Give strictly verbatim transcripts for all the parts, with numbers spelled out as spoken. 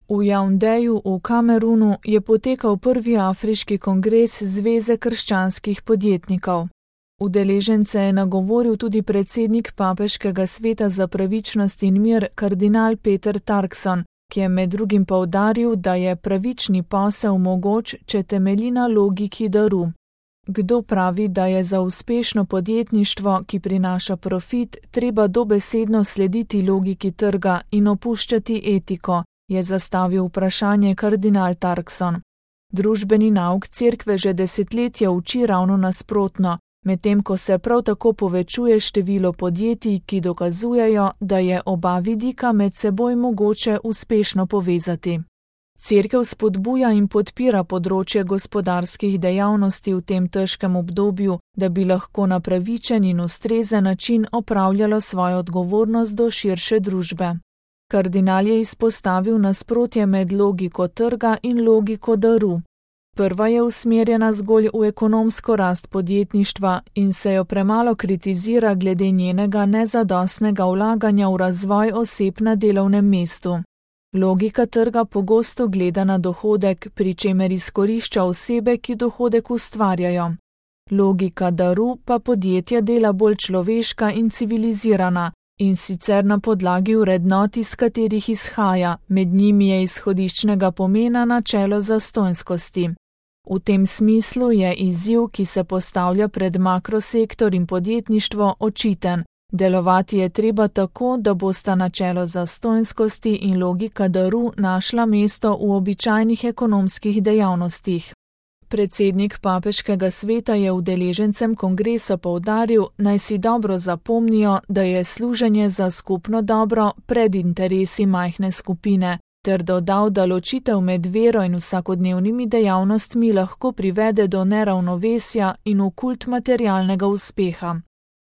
V Jaundeju v Kamerunu je potekal prvi afriški kongres Zveze krščanskih podjetnikov. Udeležence je nagovoril tudi predsednik Papeškega sveta za pravičnost in mir kardinal Peter Turkson, ki je med drugim poudaril, da je pravični posel mogoč, če temelji na logiki daru. Kdo pravi, da je za uspešno podjetništvo, ki prinaša profit, treba dobesedno slediti logiki trga in opuščati etiko, je zastavil vprašanje kardinal Turkson. Družbeni nauk cerkve že desetletja uči ravno nasprotno, medtem ko se prav tako povečuje število podjetij, ki dokazujejo, da je oba vidika med seboj mogoče uspešno povezati. Cerkev spodbuja in podpira področje gospodarskih dejavnosti v tem težkem obdobju, da bi lahko na pravičen in ustrezen način opravljalo svojo odgovornost do širše družbe. Kardinal je izpostavil nasprotje med logiko trga in logiko daru. Prva je usmerjena zgolj v ekonomsko rast podjetništva in se jo premalo kritizira glede njenega nezadostnega vlaganja v razvoj oseb na delovnem mestu. Logika trga pogosto gleda na dohodek, pri čemer izkorišča osebe, ki dohodek ustvarjajo. Logika daru pa podjetja dela bolj človeška in civilizirana, in sicer na podlagi vrednot, iz katerih izhaja, med njimi je izhodiščnega pomena načelo zastonjskosti. V tem smislu je izziv, ki se postavlja pred makrosektor in podjetništvo, očiten. Delovati je treba tako, da bosta načelo zastonjskosti in logika daru našla mesto v običajnih ekonomskih dejavnostih. Predsednik Papeškega sveta je udeležencem kongresa poudaril, naj si dobro zapomnijo, da je služenje za skupno dobro pred interesi majhne skupine, ter dodal, da ločitev med vero in vsakodnevnimi dejavnostmi lahko privede do neravnovesja in v kult materialnega uspeha.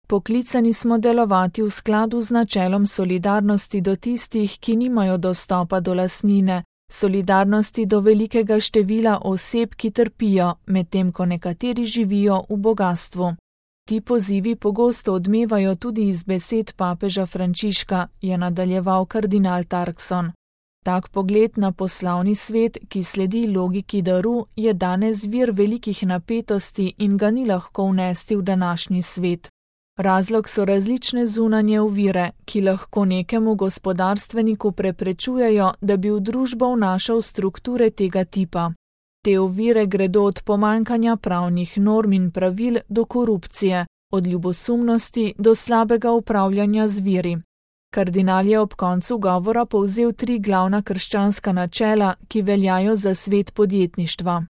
Poklicani smo delovati v skladu z načelom solidarnosti do tistih, ki nimajo dostopa do lastnine, solidarnosti do velikega števila oseb, ki trpijo, medtem ko nekateri živijo v bogastvu. Ti pozivi pogosto odmevajo tudi iz besed papeža Frančiška, je nadaljeval kardinal Turkson. Tak pogled na poslovni svet, ki sledi logiki daru, je danes vir velikih napetosti in ga ni lahko vnesti v današnji svet. Razlog so različne zunanje ovire, ki lahko nekemu gospodarstveniku preprečujejo, da bi v družbo vnašal strukture tega tipa. Te ovire gredo od pomanjkanja pravnih norm in pravil do korupcije, od ljubosumnosti do slabega upravljanja z viri. Kardinal je ob koncu govora povzel tri glavna krščanska načela, ki veljajo za svet podjetništva.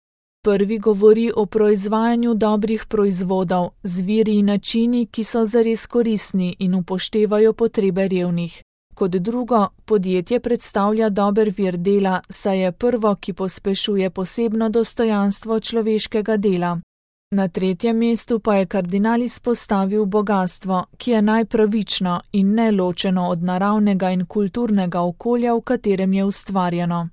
Prvi govori o proizvajanju dobrih proizvodov z viri in načini, ki so zares koristni in upoštevajo potrebe revnih. Kot drugo, podjetje predstavlja dober vir dela, saj je prvo, ki pospešuje posebno dostojanstvo človeškega dela. Na tretjem mestu pa je kardinal izpostavil bogastvo, ki je najpravično in neločeno od naravnega in kulturnega okolja, v katerem je ustvarjeno.